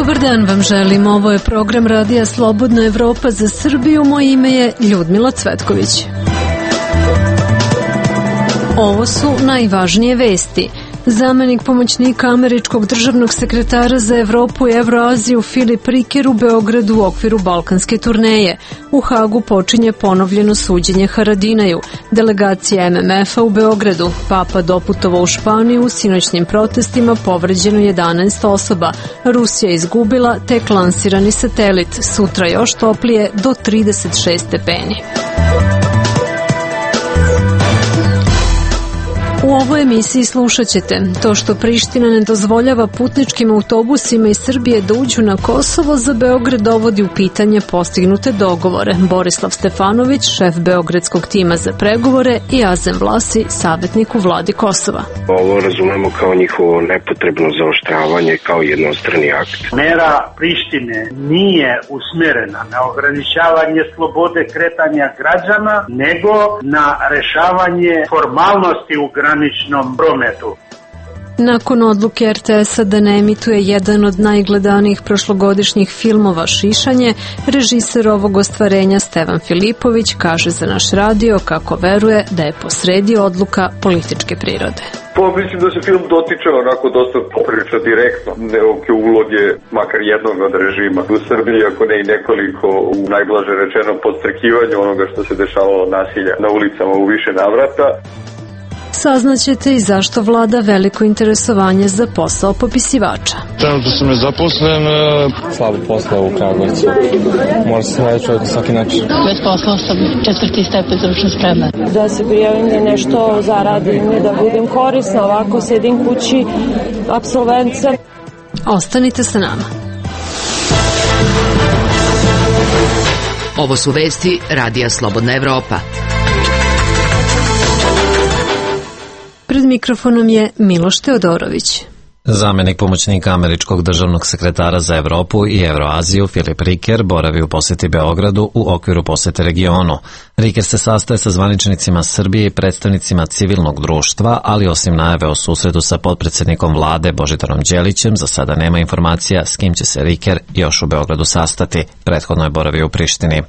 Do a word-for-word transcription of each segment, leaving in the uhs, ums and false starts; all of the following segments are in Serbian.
Dobar dan vam želim, ovo je program Radija Slobodna Evropa za Srbiju, moje ime je Ljudmila Cvetković. Ovo su najvažnije vesti. Zamenik pomoćnika američkog državnog sekretara za Evropu i Evroaziju Filip Riker u Beogradu u okviru balkanske turneje. U Hagu počinje ponovljeno suđenje Haradinaju. Delegacija M M F-a u Beogradu. Papa doputovao u Španiju, u sinoćnim protestima povređeno jedanaest osoba. Rusija izgubila tek lansirani satelit. Sutra još toplije do trideset šest stepeni. U ovoj emisiji slušat ćete to što Priština ne dozvoljava putničkim autobusima iz Srbije da uđu na Kosovo, za Beograd dovodi u pitanje postignute dogovore. Borislav Stefanović, šef beogradskog tima za pregovore, i Azem Vlasi, savjetnik u vladi Kosova. Ovo razumemo kao njihovo nepotrebno zaoštravanje, kao jednostrani akt. Mera Prištine nije usmjerena na ograničavanje slobode kretanja građana, nego na rešavanje formalnosti u graničnom prometu. Nakon odluke R T S-a da ne emituje jedan od najgledanijih prošlogodišnjih filmova Šišanje, režiser ovog ostvarenja Stevan Filipović kaže za naš radio kako veruje da je posredi odluka političke prirode. Pa mislim da se film dotiče onako dosta poprilično direktno neke uloge, makar jednog od režima u Srbiji, ako ne i nekoliko, u najblaže rečeno podstrekivanju onoga što se dešavalo nasilja na ulicama u više navrata. Saznaćete i zašto vlada veliko interesovanje za posao popisivača. Trenutno sam nezaposlen, slabo posla u Kragujevcu. Mora se naći čovjek na svaki način. Bez posla sam četvrti stepen stručne spreme. Da se prijavim da nešto zaradim i da budem korisna, ovako sedim kući, apsolvent sam. Ostanite sa nama. Ovo su vesti Radija Slobodna Evropa. Pred mikrofonom je Miloš Teodorović. Zamenik pomoćnika američkog državnog sekretara za Evropu i Evroaziju Filip Riker boravi u posjeti Beogradu u okviru posjete regionu. Riker se sastaje sa zvaničnicima Srbije i predstavnicima civilnog društva, ali osim najave o susretu sa potpredsjednikom vlade Božidarom Đelićem, za sada nema informacija s kim će se Riker još u Beogradu sastati. Prethodno je boravio u Prištini.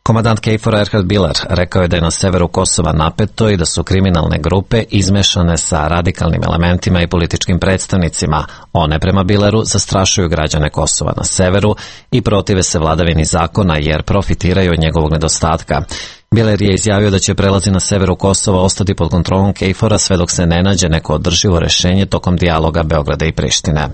Komandant KFOR-a Erhard Biler rekao je da je na severu Kosova napeto i da su kriminalne grupe izmešane sa radikalnim elementima i političkim predstavnicima. One, prema Bileru, zastrašuju građane Kosova na severu i protive se vladavini zakona jer profitiraju od njegovog nedostatka. Biler je izjavio da će prelazi na severu Kosova ostati pod kontrolom KFOR-a sve dok se ne nađe neko održivo rešenje tokom dijaloga Beograda i Prištine.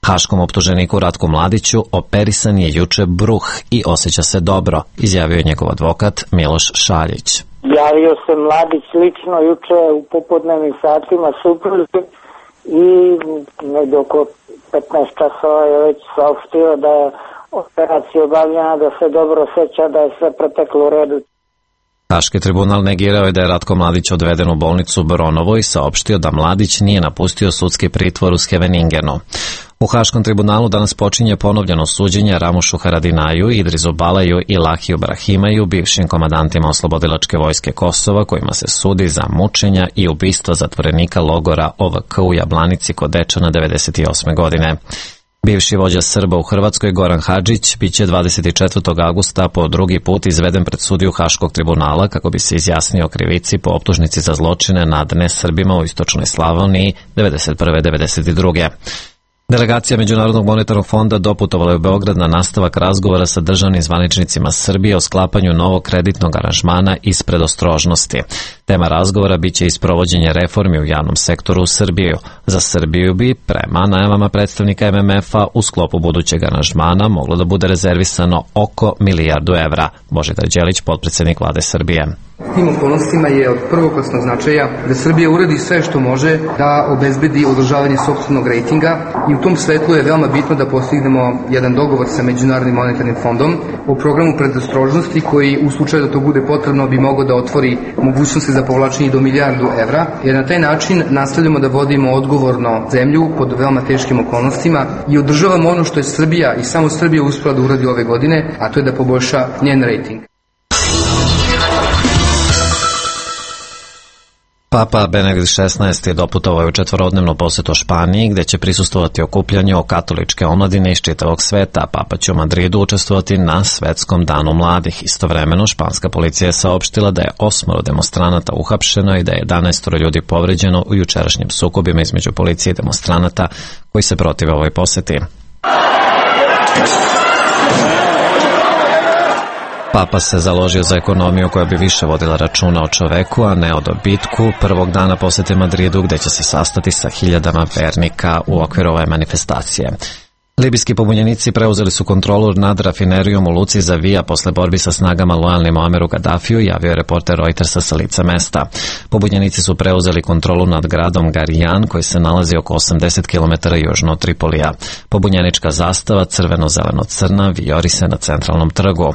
Haškom optuženiku Ratku Mladiću operisan je juče bruh i osjeća se dobro, izjavio je njegov advokat Miloš Šaljić. Javio se Mladić lično juče u popodnevnim satima supruzi i negdje oko petnaest časova je već saopštio da je operacija obavljena, da se dobro osjeća, da je sve proteklo u redu. Haški tribunal negirao je da je Ratko Mladić odveden u bolnicu u Boronovo i saopštio da Mladić nije napustio sudski pritvor u Scheveningenu. U Haškom tribunalu danas počinje ponovljeno suđenje Ramušu Haradinaju, Idrisu Balaju i Lahiju Brahimaju, bivšim komandantima Oslobodilačke vojske Kosova, kojima se sudi za mučenja i ubistva zatvorenika logora O V K u Jablanici kod Dečana devedeset osme godine. Bivši vođa Srba u Hrvatskoj Goran Hadžić biće dvadeset četvrtog avgusta po drugi put izveden pred sudiju Haškog tribunala kako bi se izjasnio o krivici po optužnici za zločine nad nesrbima u istočnoj Slavoniji devedeset prve devedeset druge Delegacija Međunarodnog monetarnog fonda doputovala je u Beograd na nastavak razgovora sa državnim zvaničnicima Srbije o sklapanju novog kreditnog aranžmana iz predostrožnosti. Tema razgovora biće isprovođenje reformi u javnom sektoru u Srbiju. Za Srbiju bi, prema najavama predstavnika M M F-a, u sklopu budućeg aranžmana moglo da bude rezervisano oko milijardu evra. Božidar Đelić, potpredsjednik vlade Srbije. Tim okolnostima je od prvoklasnog značaja da Srbija uradi sve što može da obezbedi održavanje sopstvenog rejtinga i u tom svetlu je veoma bitno da postignemo jedan dogovor sa Međunarodnim monetarnim fondom o programu predostrožnosti koji u slučaju da to bude potrebno bi mogao da otvori mogućnosti za povlačenje do milijardu evra, jer na taj način nastavljamo da vodimo odgovorno zemlju pod veoma teškim okolnostima i održavamo ono što je Srbija i samo Srbija uspela da uradi ove godine, a to je da poboljša njen rejting. Papa Benedikt šesnaesti je doputovao u četvorodnevnu posetu Španiji, gde će prisustvovati okupljanju o katoličke omladine iz čitavog sveta. Papa će u Madridu učestvovati na Svetskom danu mladih. Istovremeno, španska policija je saopštila da je osmoro demonstranata uhapšeno i da je jedanaest ljudi povređeno u jučerašnjim sukobima između policije i demonstranata koji se protive ovoj poseti. Papa se založio za ekonomiju koja bi više vodila računa o čoveku, a ne o dobitku, prvog dana posete Madridu, gde će se sastati sa hiljadama vernika u okviru ove manifestacije. Libijski pobunjenici preuzeli su kontrolu nad rafinerijom u luci Zavija posle borbi sa snagama lojalnim Muameru Gaddafiju, javio je reporter Reutersa sa lica mesta. Pobunjenici su preuzeli kontrolu nad gradom Garijan, koji se nalazi oko osamdeset kilometara južno od Tripolija. Pobunjenička zastava crveno-zeleno-crna vijori se na centralnom trgu.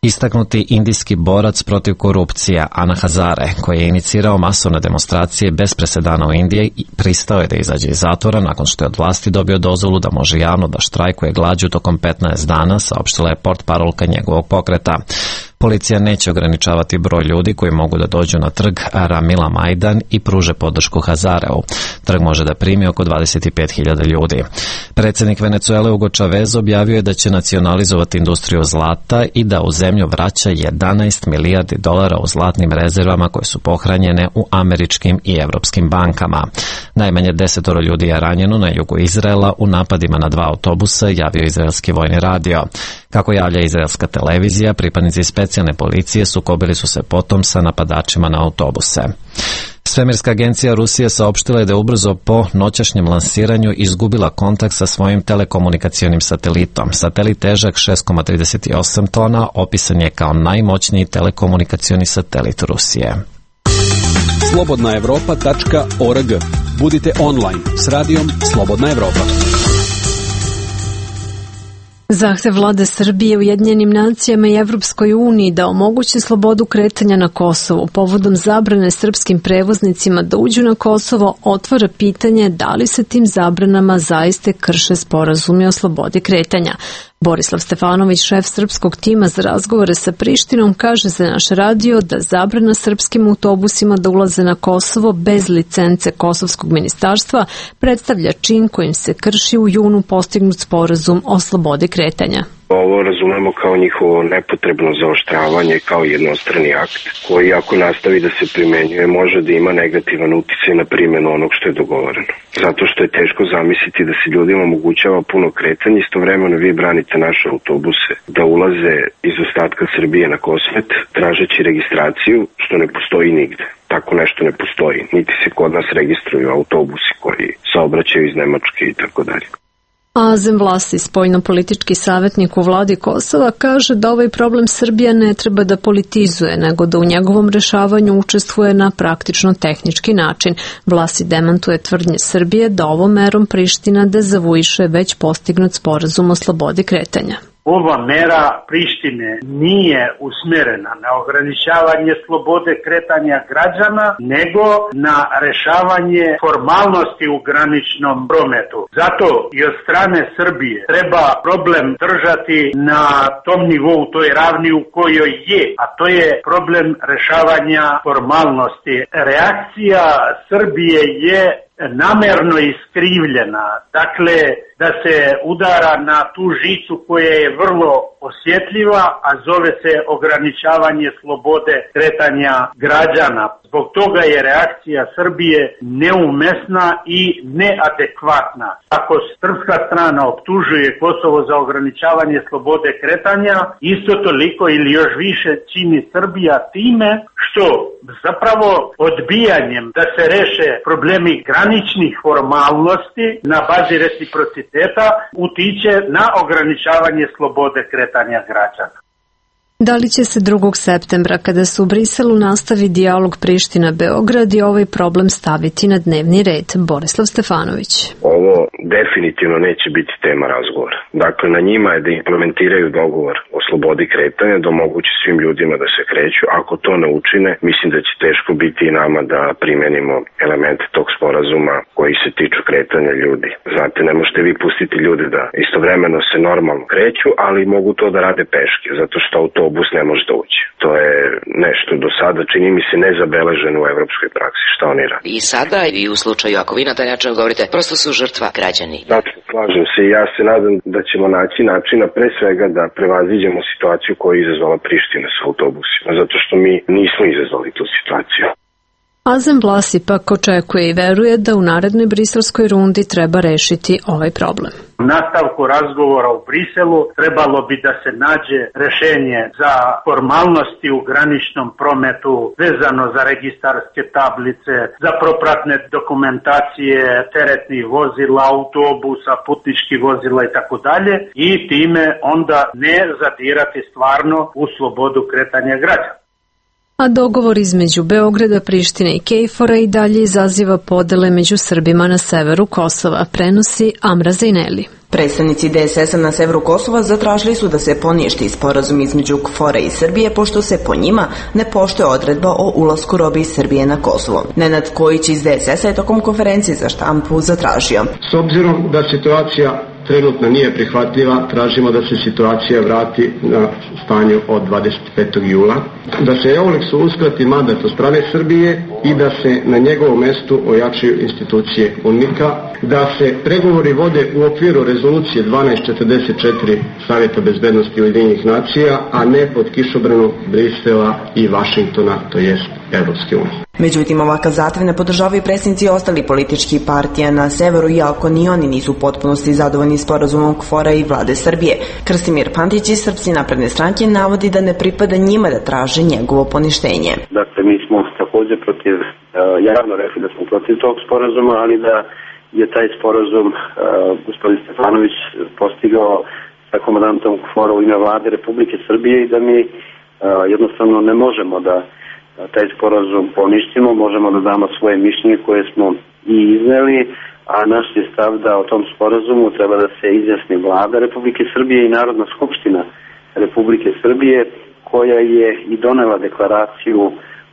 Istaknuti indijski borac protiv korupcije Ana Hazare, koji je inicirao masovne demonstracije bez presedana u Indiji, pristao je da izađe iz zatvora nakon što je od vlasti dobio dozvolu da može javno da štrajkuje glađu tokom petnaest dana, saopštila je portparolka njegovog pokreta. Policija neće ograničavati broj ljudi koji mogu da dođu na trg Ramila Majdan i pruže podršku Hazareu. Trg može da primi oko dvadeset pet hiljada ljudi. Predsjednik Venecuele Hugo Chavez objavio je da će nacionalizovati industriju zlata i da u zemlju vraća jedanaest milijardi dolara u zlatnim rezervama koje su pohranjene u američkim i evropskim bankama. Najmanje desetoro ljudi je ranjeno na jugu Izraela u napadima na dva autobusa, javio izraelski vojni radio. Kako javlja izraelska televizija, pripadnici specijalne policije sukobili su se potom sa napadačima na autobuse. Svemirska agencija Rusije saopštila je da je ubrzo po noćašnjem lansiranju izgubila kontakt sa svojim telekomunikacionim satelitom. Satelit težak šest zarez trideset osam tona opisan je kao najmoćniji telekomunikacioni satelit Rusije. slobodna evropa tačka org. Budite online s radijom Slobodna Evropa. Zahtev vlade Srbije Ujedinjenim nacijama i Evropskoj uniji da omogući slobodu kretanja na Kosovu povodom zabrane srpskim prevoznicima da uđu na Kosovo otvara pitanje da li se tim zabranama zaiste krše sporazumi o slobodi kretanja. Borislav Stefanović, šef srpskog tima za razgovore sa Prištinom, kaže za naš radio da zabrana srpskim autobusima da ulaze na Kosovo bez licence Kosovskog ministarstva predstavlja čin kojim se krši u junu postignut sporazum o slobodi kretanja. Ovo razumemo kao njihovo nepotrebno zaoštravanje, kao jednostrani akt, koji ako nastavi da se primenjuje može da ima negativan uticaj na primjenu onog što je dogovoreno. Zato što je teško zamisliti da se ljudima omogućava puno kretanje, istovremeno vi branite naše autobuse da ulaze iz ostatka Srbije na Kosmet, tražeći registraciju, što ne postoji nigde. Tako nešto ne postoji, niti se kod nas registruju autobusi koji saobraćaju iz Nemačke i tako dalje. Azem Vlasi, spoljno-politički savjetnik u vladi Kosova, kaže da ovaj problem Srbija ne treba da politizuje, nego da u njegovom rešavanju učestvuje na praktično tehnički način. Vlasi demantuje tvrdnje Srbije da ovom merom Priština dezavuiše već postignut sporazum o slobodi kretanja. Ova mera Prištine nije usmjerena na ograničavanje slobode kretanja građana, nego na rešavanje formalnosti u graničnom prometu. Zato i od strane Srbije treba problem držati na tom nivou, toj ravni u kojoj je, a to je problem rešavanja formalnosti. Reakcija Srbije je namerno iskrivljena, dakle da se udara na tu žicu koja je vrlo osjetljiva, a zove se ograničavanje slobode kretanja građana. Zbog toga je reakcija Srbije neumesna i neadekvatna. Ako srpska strana optužuje Kosovo za ograničavanje slobode kretanja, isto toliko ili još više čini Srbija time što zapravo odbijanjem da se reše problemi graničnih formalnosti na bazi reciprociteta utiče na ograničavanje slobode kretanja građana. Da li će se drugog septembra, kada se u Briselu nastavi dijalog Priština-Beograd i ovaj problem staviti na dnevni red? Borislav Stefanović. Ovo definitivno neće biti tema razgovora. Dakle, na njima je da implementiraju dogovor o slobodi kretanja, da omogući svim ljudima da se kreću. Ako to ne učine, mislim da će teško biti i nama da primenimo elemente tog sporazuma koji se tiču kretanja ljudi. Znate, ne možete vi pustiti ljude da istovremeno se normalno kreću, ali mogu to da rade peške, zato što autobus autobus ne može da uđe. To je nešto do sada, čini mi se, nezabeleženo u evropskoj praksi. Šta oni radi? I sada i u slučaju, ako vi na taj način govorite, prosto su žrtva građani. Znači, slažem se i ja se nadam da ćemo naći načina pre svega da prevaziđemo situaciju koju je izazvala Priština sa autobusima, zato što mi nismo izazvali tu situaciju. Azem Vlasi pak očekuje i veruje da u narednoj briselskoj rundi treba rešiti ovaj problem. U nastavku razgovora u Briselu trebalo bi da se nađe rešenje za formalnosti u graničnom prometu vezano za registarske tablice, za propratne dokumentacije teretnih vozila, autobusa, putničkih vozila i tako dalje, i time onda ne zadirati stvarno u slobodu kretanja građana. A dogovor između Beograda, Prištine i Kejfora i dalje izaziva podele među Srbima na severu Kosova, prenosi Amra Zajneli. Predstavnici D S S-a na severu Kosova zatražili su da se poništi sporazum između KFOR-a i Srbije, pošto se po njima ne poštuje odredba o ulasku robe iz Srbije na Kosovo. Nenad Kojić iz D S S-a je tokom konferencije za štampu zatražio: S obzirom da situacija trenutno nije prihvatljiva, tražimo da se situacija vrati na stanju od dvadeset petog jula, da se Euleksu uskrati mandat od strane Srbije i da se na njegovom mestu ojačaju institucije UNMIK-a, da se pregovori vode u okviru rezolucije dvanaest četrdeset četiri Savjeta bezbednosti Ujedinjenih nacija, a ne pod kišobranom Brisela i Vašingtona, to jest Evropske unije. Međutim, ovakav zahtev ne podržavaju predsjednici ostalih političkih partija na severu, iako ni oni nisu u potpunosti zadovoljni sporazumom KFOR-a i vlade Srbije. Krstimir Pantić iz Srpske napredne stranke navodi da ne pripada njima da traže njegovo poništenje. Dakle, mi smo također protiv, javno rekli da smo protiv tog sporazuma, ali da je taj sporazum gospodin Stefanović postigao sa komandantom KFOR-a u ime vlade Republike Srbije i da mi jednostavno ne možemo da taj sporazum poništimo, možemo da damo svoje mišljenje koje smo i izneli, a naš je stav da o tom sporazumu treba da se izjasni vlada Republike Srbije i Narodna skupština Republike Srbije, koja je i donela deklaraciju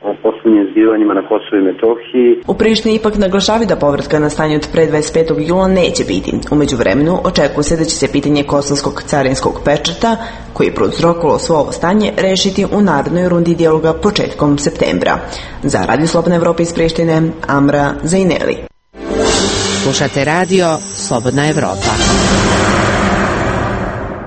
o poslednjim zbivanjima na Kosovu i Metohiji. U Prištini ipak naglašavaju da povratka na stanje od pre dvadeset petog jula neće biti. U međuvremenu očekuje se da će se pitanje kosovskog carinskog pečata, koji je prouzrokovalo svo ovo stanje, rešiti u narednoj rundi dijaloga početkom septembra. Za Radio Slobodna Evropa iz Prištine, Amra Zajneli. Slušate radio Slobodna Evropa.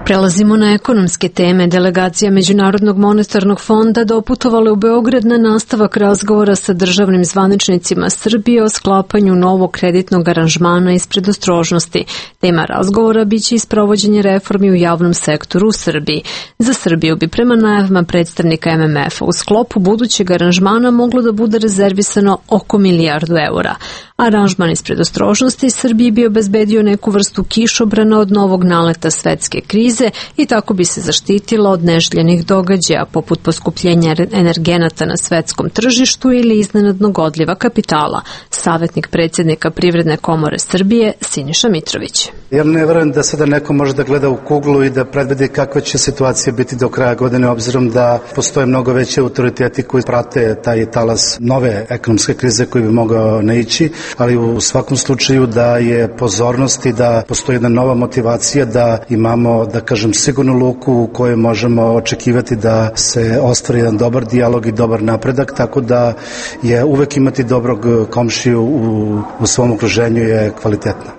Prelazimo na ekonomske teme. Delegacija Međunarodnog monetarnog fonda doputovala u Beograd na nastavak razgovora sa državnim zvaničnicima Srbije o sklapanju novog kreditnog aranžmana iz predostrožnosti. Tema razgovora biće isprovođenje reformi u javnom sektoru u Srbiji. Za Srbiju bi prema najavama predstavnika M M F-a u sklopu budućeg aranžmana moglo da bude rezervisano oko milijardu eura. Aranžman iz predostrožnosti Srbiji bi obezbedio neku vrstu kišobrana od novog naleta svetske krize i tako bi se zaštitila od neželjenih događaja poput poskupljenja energenata na svetskom tržištu ili iznenadnog odliva kapitala. Savjetnik predsjednika Privredne komore Srbije Siniša Mitrović. Ja ne verujem da sada neko može da gleda u kuglu i da predvidi kakva će situacija biti do kraja godine, obzirom da postoje mnogo veće autoriteti koji prate taj talas nove ekonomske krize koji bi mogao naići, ali u svakom slučaju da je pozornost i da postoji jedna nova motivacija da imamo, da kažem, sigurnu luku u kojoj možemo očekivati da se ostvari jedan dobar dijalog i dobar napredak, tako da je uvek imati dobrog komšiju u, u svom okruženju je kvalitetno.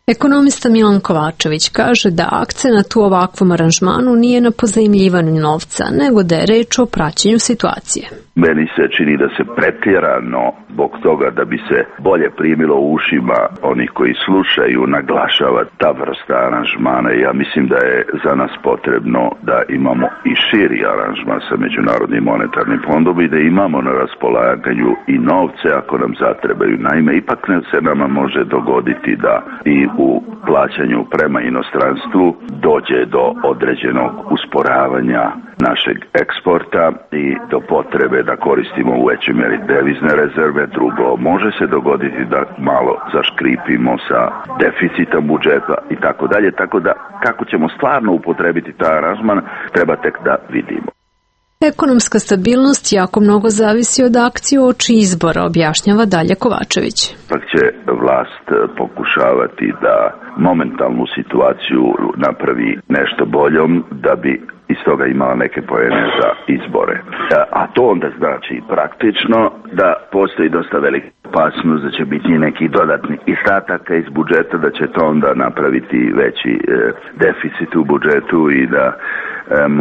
Ekonomista Milan Kovačević kaže da akcenat u ovakvom aranžmanu nije na pozajmljivanju novca, nego da je reč o praćenju situacije. Meni se čini da se pretjerano zbog toga da bi se bolje primilo u ušima onih koji slušaju naglašava ta vrsta aranžmana. Ja mislim da je za nas potrebno da imamo i širi aranžman sa Međunarodnim monetarnim fondom i da imamo na raspolaganju i novce ako nam zatrebaju. Naime, ipak se nama može dogoditi da i u plaćanju prema inostranstvu dođe do određenog usporavanja našeg eksporta i do potrebe da koristimo u većoj meri devizne rezerve. Drugo, može se dogoditi da malo zaškripimo sa deficitom budžeta i tako dalje, tako da kako ćemo stvarno upotrebiti taj aranžman treba tek da vidimo. Ekonomska stabilnost jako mnogo zavisi od akcije uoči izbora, objašnjava Dalja Kovačević. Pak će vlast pokušavati da momentalnu situaciju napravi nešto boljom da bi iz toga imala neke poene za izbore. A to onda znači praktično da postoji dosta velika opasnost da će biti nekih dodatnih izdataka iz budžeta, da će to onda napraviti veći e, deficit u budžetu i da e,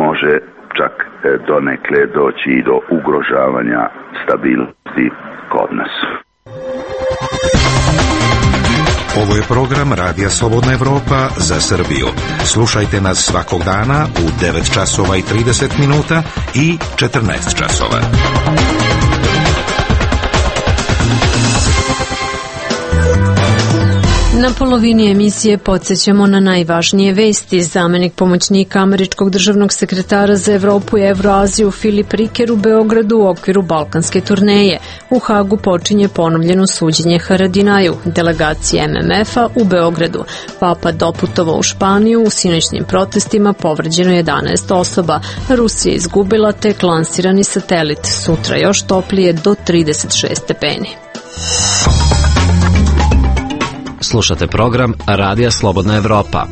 može čak e, donekle doći i do ugrožavanja stabilnosti kod nas. Ovo je program Radija Slobodna Evropa za Srbiju. Slušajte nas svakog dana u devet časova i trideset minuta i četrnaest časova. Na polovini emisije podsjećamo na najvažnije vesti. Zamenik pomoćnika američkog državnog sekretara za Evropu i Evroaziju Filip Riker u Beogradu u okviru balkanske turneje. U Hagu počinje ponovljeno suđenje Haradinaju, delegacije M M F-a u Beogradu. Papa doputovao u Španiju, u sinoćnim protestima povređeno jedanaest osoba. Rusija izgubila tek lansirani satelit. Sutra još toplije do trideset šest stepeni. Slušate program Radija Slobodna Evropa.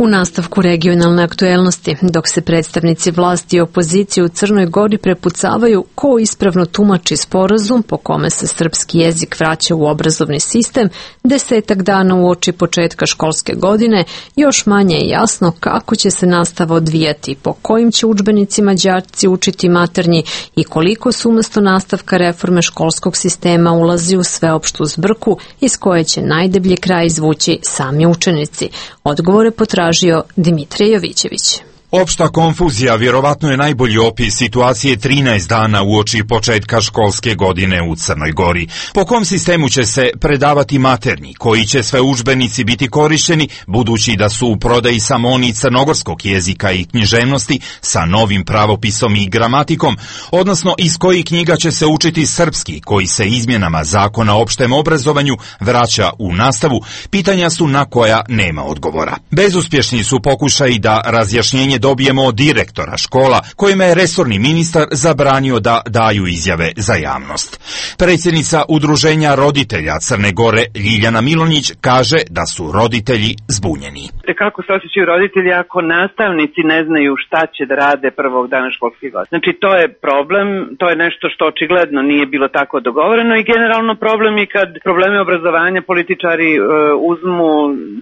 U nastavku regionalne aktuelnosti, dok se predstavnici vlasti i opozicije u Crnoj Gori prepucavaju ko ispravno tumači sporazum po kome se srpski jezik vraća u obrazovni sistem, desetak dana uoči početka školske godine, još manje je jasno kako će se nastava odvijati, po kojim će udžbenicima đaci učiti maternji i koliko su umesto nastavka reforme školskog sistema ulazi u sveopštu zbrku iz koje će najdeblji kraj izvući sami učenici. Odgovore potražuju Dimitrije Jovićević. Opšta konfuzija vjerovatno je najbolji opis situacije trinaest dana uoči početka školske godine u Crnoj Gori. Po kom sistemu će se predavati maternji, koji će sve udžbenici biti korišteni, budući da su u prodaji samo oni crnogorskog jezika i književnosti sa novim pravopisom i gramatikom, odnosno iz kojih knjiga će se učiti srpski, koji se izmjenama zakona o opštem obrazovanju vraća u nastavu, pitanja su na koja nema odgovora. Bezuspješni su pokušaji da razjašnjenje dobijemo od direktora škola, kojima je resorni ministar zabranio da daju izjave za javnost. Predsjednica Udruženja roditelja Crne Gore Ljiljana Milonjić kaže da su roditelji zbunjeni. Kako se osjećaju roditelji ako nastavnici ne znaju šta će da rade prvog dana školske godine? Znači to je problem, to je nešto što očigledno nije bilo tako dogovoreno i generalno problem je kad probleme obrazovanja političari uh, uzmu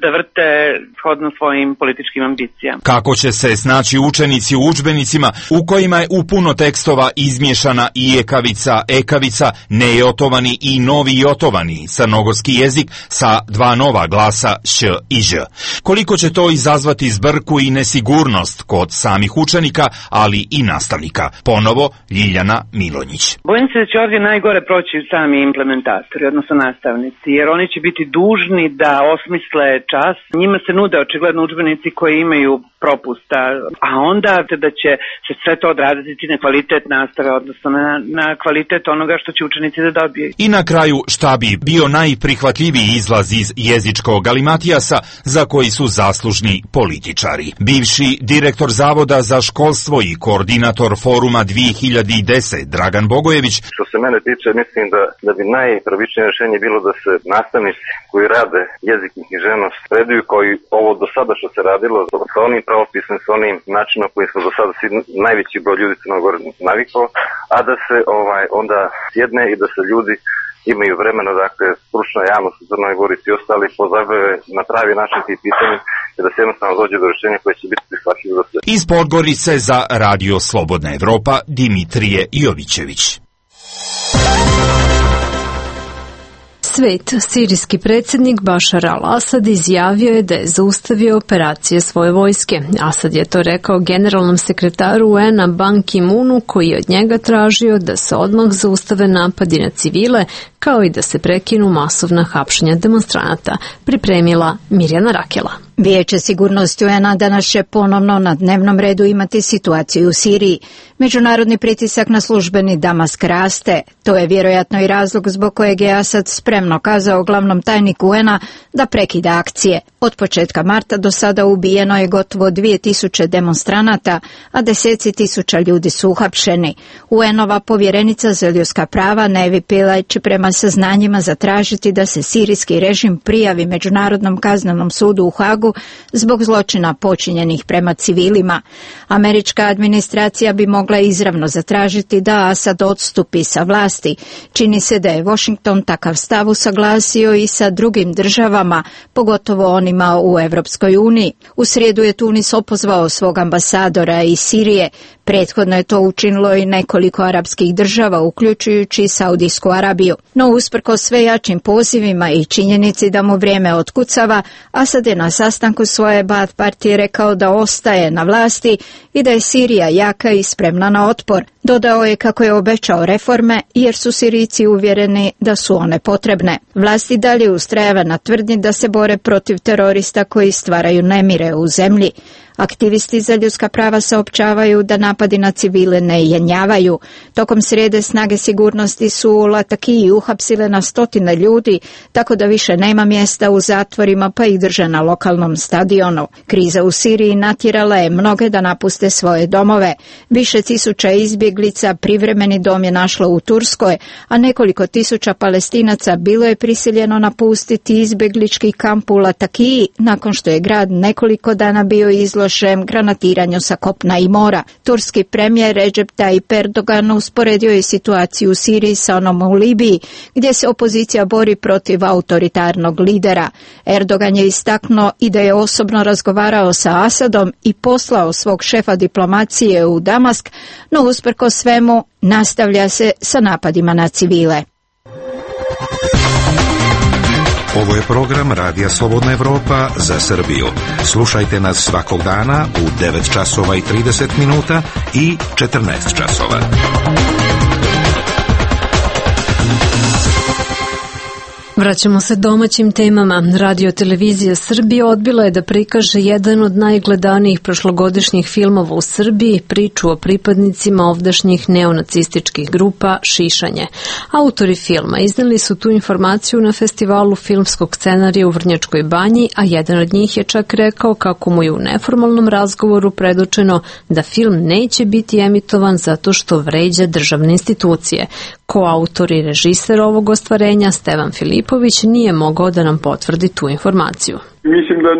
da vrte shodno svojim političkim ambicijama. Kako će se znači učenici u udžbenicima u kojima je u puno tekstova izmješana i ekavica, ekavica, nejotovani i novi jotovani crnogorski jezik sa dva nova glasa š i ž. Koliko će to izazvati zbrku i nesigurnost kod samih učenika, ali i nastavnika? Ponovo Ljiljana Milonjić. Bojim se da će ovdje najgore proći sami implementatori, odnosno nastavnici, jer oni će biti dužni da osmisle čas. Njima se nude očigledno udžbenici koji imaju propusta, a onda da će se sve to odraziti na kvalitet nastave, odnosno na, na kvalitet onoga što će učenici da dobiju. I na kraju, šta bi bio najprihvatljiviji izlaz iz jezičkog galimatijasa za koji su zaslužni političari? Bivši direktor Zavoda za školstvo i koordinator foruma dvije hiljade deset Dragan Bogojević. Što se mene tiče, mislim da, da bi najpravičnije rješenje bilo da se nastavnici koji rade jezik i književnost predaju koji ovo do sada što se radilo sa onim pravopisem, sa onim načinom koji smo do sada svi, najveći broj ljudi Crnoj Gori navikao, a da se ovaj onda sjedne i da se ljudi imaju vremena, dakle, stručna javnost u Crnoj Gori i ostali pozabave na pravi način tih pitanja i da se jednostavno dođe do rješenja koje će biti prihvatljivo za sve. Iz Podgorice za Radio Slobodna Evropa Dimitrije Jovićević. Svet, sirijski predsjednik Bašar al-Asad izjavio je da je zaustavio operacije svoje vojske. Asad je to rekao generalnom sekretaru U N-a Ban Ki-moonu, koji je od njega tražio da se odmah zaustave napadi na civile, kao i da se prekinu masovna hapšenja demonstranata, pripremila Mirjana Rakela. Vijeće sigurnosti U N-a danas će ponovno na dnevnom redu imati situaciju u Siriji. Međunarodni pritisak na službeni Damask raste. To je vjerojatno i razlog zbog kojeg je Asad spremno kazao glavnom tajniku U N-a da prekida akcije. Od početka marta do sada ubijeno je gotovo dvije tisuće demonstranata, a deseci tisuća ljudi su uhapšeni. U N-ova povjerenica za ljudska prava Nevi Pillay prema prema saznanjima zatražiti da se sirijski režim prijavi Međunarodnom kaznenom sudu u Hagu zbog zločina počinjenih prema civilima. Američka administracija bi mogla izravno zatražiti da Asad odstupi sa vlasti. Čini se da je Washington takav stav usaglasio i sa drugim državama, pogotovo onima u Evropskoj uniji. U srijedu je Tunis opozvao svog ambasadora iz Sirije. Prethodno je to učinilo i nekoliko arapskih država, uključujući i Saudijsku Arabiju. No usprkos sve jačim pozivima i činjenici da mu vrijeme otkucava, Asad je na sastanku svoje Baath partije rekao da ostaje na vlasti i da je Sirija jaka i spremna na otpor. Dodao je kako je obećao reforme jer su Sirijci uvjereni da su one potrebne. Vlast i dalje ustrajava na tvrdnji da se bore protiv terorista koji stvaraju nemire u zemlji. Aktivisti za ljudska prava saopćavaju da napadi na civile ne jenjavaju. Tokom srijede snage sigurnosti su u Latakiji uhapsile na stotine ljudi, tako da više nema mjesta u zatvorima pa ih drže na lokalnom stadionu. Kriza u Siriji natjerala je mnoge da napuste svoje domove. Više tisuća izbjeglica privremeni dom je našlo u Turskoj, a nekoliko tisuća Palestinaca bilo je prisiljeno napustiti izbjeglički kamp u Latakiji nakon što je grad nekoliko dana bio izložen granatiranju sa kopna i mora. Turski premijer Recep Tayyip Erdogan usporedio je situaciju u Siriji sa onom u Libiji, gdje se opozicija bori protiv autoritarnog lidera. Erdogan je istaknuo i da je osobno razgovarao sa Asadom i poslao svog šefa diplomacije u Damask, no usprkos svemu nastavlja se sa napadima na civile. Ovo je program Radija Slobodna Evropa za Srbiju. Slušajte nas svakog dana u devet časova i trideset minuta i četrnaest časova. Vraćamo se domaćim temama. Radio televizija Srbije odbila je da prikaže jedan od najgledanijih prošlogodišnjih filmova u Srbiji, priču o pripadnicima ovdašnjih neonacističkih grupa Šišanje. Autori filma izneli su tu informaciju na festivalu filmskog scenarija u Vrnjačkoj Banji, a jedan od njih je čak rekao kako mu je u neformalnom razgovoru predočeno da film neće biti emitovan zato što vređa državne institucije. Koautor i režiser ovog ostvarenja, Stevan Filipović, nije mogao da nam potvrdi tu informaciju. Mislim da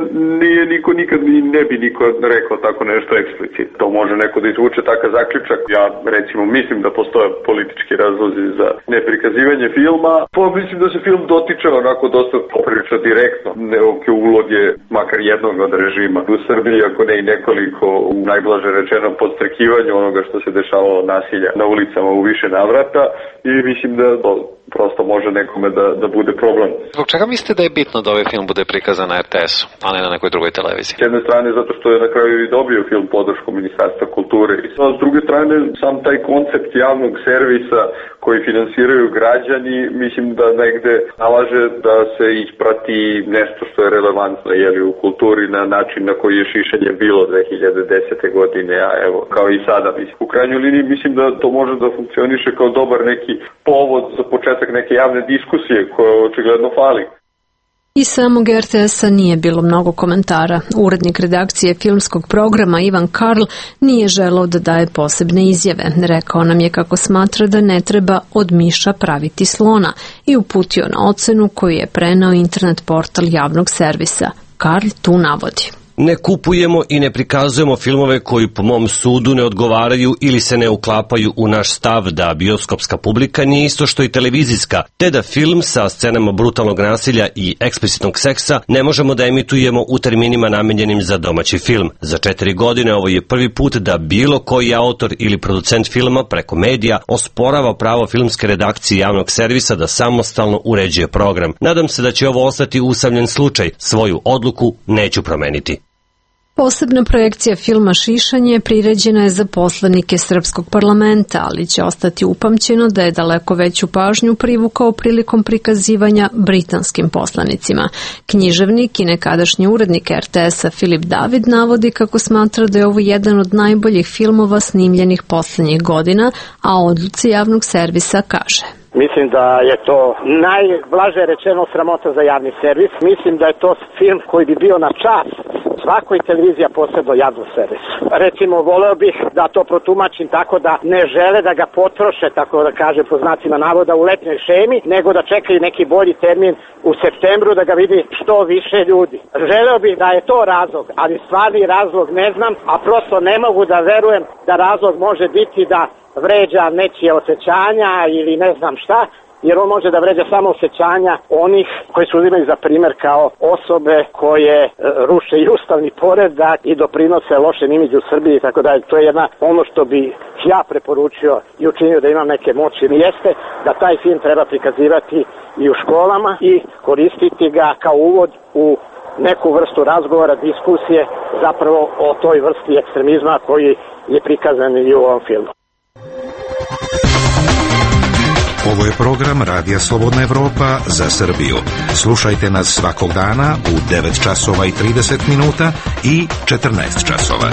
nije niko nikad i ne bi niko rekao tako nešto eksplicitno. To može neko da izvuče takav zaključak. Ja recimo mislim da postoje politički razlozi za neprikazivanje filma. Pa mislim da se film dotiče onako dosta poprilično direktno neke uloge, makar jednog od režima u Srbiji, ako ne i nekoliko, u najblaže rečeno podstrekivanju onoga što se dešavalo nasilja na ulicama u više navrata, i mislim da to prosto može nekome da, da bude problem. Zbog čega mislite da je bitno da ovaj film bude prikazan na er te esu, a ne na nekoj drugoj televiziji? S jedne strane zato što je na kraju i dobio film podršku Ministarstva kulture, a s druge strane sam taj koncept javnog servisa koji finansiraju građani, mislim da negde nalaže da se isprati nešto što je relevantno jeli, u kulturi na način na koji je šišanje bilo dve hiljade desete godine, a evo kao i sada. Mislim. U krajnjoj liniji mislim da to može da funkcioniše kao dobar neki povod za početak neke javne diskusije koje očigledno fali. I samog er te esa nije bilo mnogo komentara. Urednik redakcije filmskog programa Ivan Karl nije želeo da daje posebne izjave. Rekao nam je kako smatra da ne treba od miša praviti slona i uputio na ocenu koju je preneo internet portal javnog servisa. Karl tu navodi: Ne kupujemo i ne prikazujemo filmove koji po mom sudu ne odgovaraju ili se ne uklapaju u naš stav da bioskopska publika nije isto što i televizijska, te da film sa scenama brutalnog nasilja i eksplicitnog seksa ne možemo da emitujemo u terminima namenjenim za domaći film. Za četiri godine ovo je prvi put da bilo koji autor ili producent filma preko medija osporava pravo filmske redakcije javnog servisa da samostalno uređuje program. Nadam se da će ovo ostati usamljen slučaj. Svoju odluku neću promeniti. Posebna projekcija filma Šišanje priređena je za poslanike Srpskog parlamenta, ali će ostati upamćeno da je daleko veću pažnju privukao prilikom prikazivanja britanskim poslanicima. Književnik i nekadašnji urednik er te esa Filip David navodi kako smatra da je ovo jedan od najboljih filmova snimljenih poslednjih godina, a o odluci javnog servisa kaže: Mislim da je to najblaže rečeno sramota za javni servis. Mislim da je to film koji bi bio na čast svakoj televizija posebno javno servis. Recimo, voleo bih da to protumačim tako da ne žele da ga potroše, tako da kažem po znacima navoda, u letnjoj šemi, nego da čekaju neki bolji termin u septembru da ga vidi što više ljudi. Želeo bih da je to razlog, ali stvarni razlog ne znam, a prosto ne mogu da verujem da razlog može biti da vređa nečije osjećanja ili ne znam šta, jer on može da vređa samo osjećanja onih koji su uzimaju za primer kao osobe koje e, ruše i ustavni poredak i doprinose lošem imidžu u Srbiji i tako dalje. To je jedna, ono što bi ja preporučio i učinio da imam neke moći, jeste da taj film treba prikazivati i u školama i koristiti ga kao uvod u neku vrstu razgovora, diskusije zapravo o toj vrsti ekstremizma koji je prikazan i u ovom filmu. Ovo je program Radija Slobodna Evropa za Srbiju. Slušajte nas svakog dana u devet časova i trideset minuta i četrnaest časova.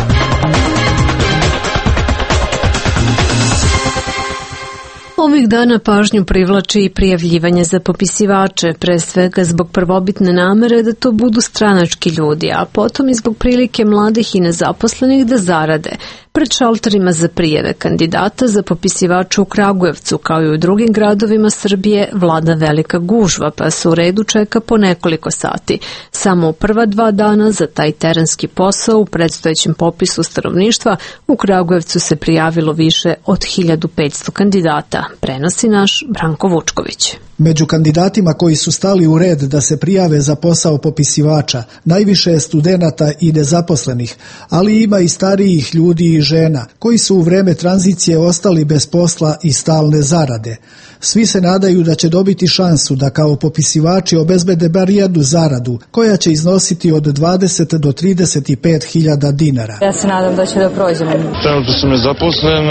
Ovih dana pažnju privlači i prijavljivanje za popisivače, pre svega zbog prvobitne namere da to budu stranački ljudi, a potom i zbog prilike mladih i nezaposlenih da zarade. Pred šalterima za prijave kandidata za popisivače u Kragujevcu, kao i u drugim gradovima Srbije, vlada velika gužva, pa se u redu čeka po nekoliko sati. Samo u prva dva dana za taj terenski posao u predstojećem popisu stanovništva u Kragujevcu se prijavilo više od hiljadu petsto kandidata, prenosi naš Branko Vučković. Među kandidatima koji su stali u red da se prijave za posao popisivača, najviše je studenata i nezaposlenih, ali ima i starijih ljudi i žena, koji su u vreme tranzicije ostali bez posla i stalne zarade. Svi se nadaju da će dobiti šansu da kao popisivači obezbede bar jednu zaradu, koja će iznositi od dvadeset do trideset pet hiljada dinara. Ja se nadam da će da prođemo. Trenutno sam nezaposlen,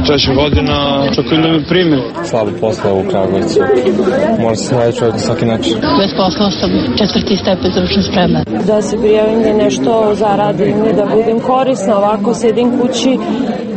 treća godina, čekam da me primi. Slabo posla u Kragujevcu. Mora se naći čovjek na svaki način. Bez posla sam četvrti stepen stručne spreme. Da se prijavim da nešto zaradim, da budem korisna, ovako sedim kući,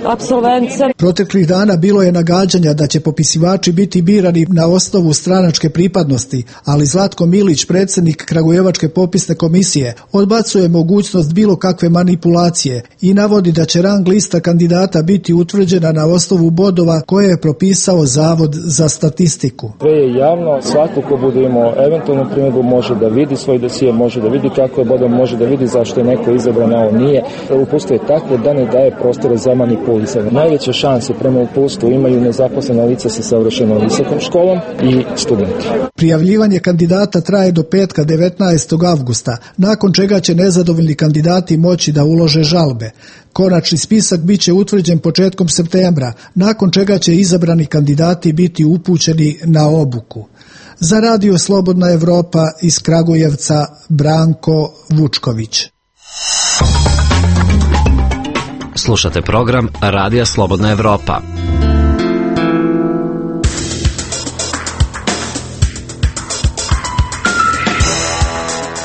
apsolvent sam. Proteklih dana bilo je nagađanja da će popisivači biti birani na osnovu stranačke pripadnosti, ali Zlatko Milić, predsjednik Kragujevačke popisne komisije, odbacuje mogućnost bilo kakve manipulacije i navodi da će rang lista kandidata biti utvrđena na osnovu bodova koje je propisao Zavod za statistiku. Sve je javno, svako ko bude imao eventualnu primjedbu može da vidi svoj dosije, može da vidi kako je bodom, može da vidi zašto je neko izabran, a on nije. Uputstvo je takvo da ne daje prostore za manipulisanje. Najveće šanse prema uputstvu imaju nezaposlena lica sa savršenom visokom školom i studenti. Prijavljivanje kandidata traje do petka devetnaestog avgusta, nakon čega će nezadovoljni kandidati moći da ulože žalbe. Konačni spisak biće utvrđen početkom septembra, nakon čega će izabrani kandidati biti upućeni na obuku. Za Radio Slobodna Evropa iz Kragujevca, Branko Vučković. Slušate program Radija Slobodna Evropa.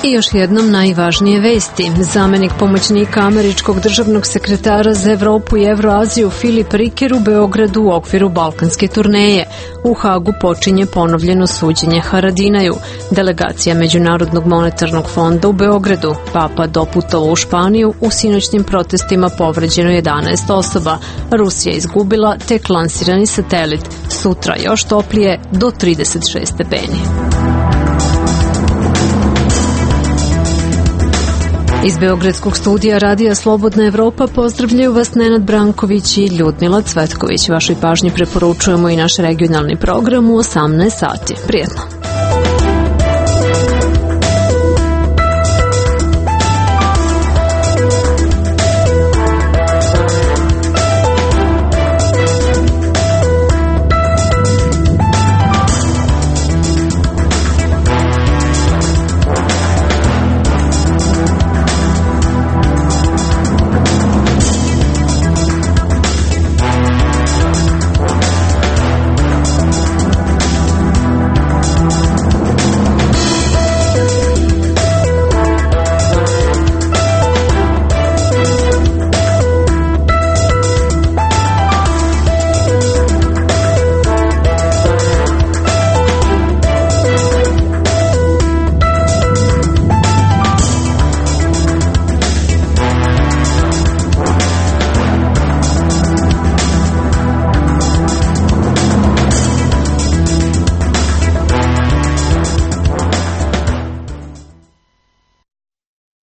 I još jednom najvažnije vesti. Zamenik pomoćnika američkog državnog sekretara za Evropu i Evroaziju Filip Riker u Beogradu u okviru balkanske turneje. U Hagu počinje ponovljeno suđenje Haradinaju. Delegacija Međunarodnog monetarnog fonda u Beogradu. Papa doputovao u Španiju, u sinoćnim protestima povređeno jedanaest osoba. Rusija izgubila tek lansirani satelit. Sutra još toplije do trideset šest stepeni. Iz Beogradskog studija Radija Slobodna Evropa pozdravljaju vas Nenad Branković i Ljudmila Cvetković. Vašoj pažnji preporučujemo i naš regionalni program u osamnaest sati. Prijetno!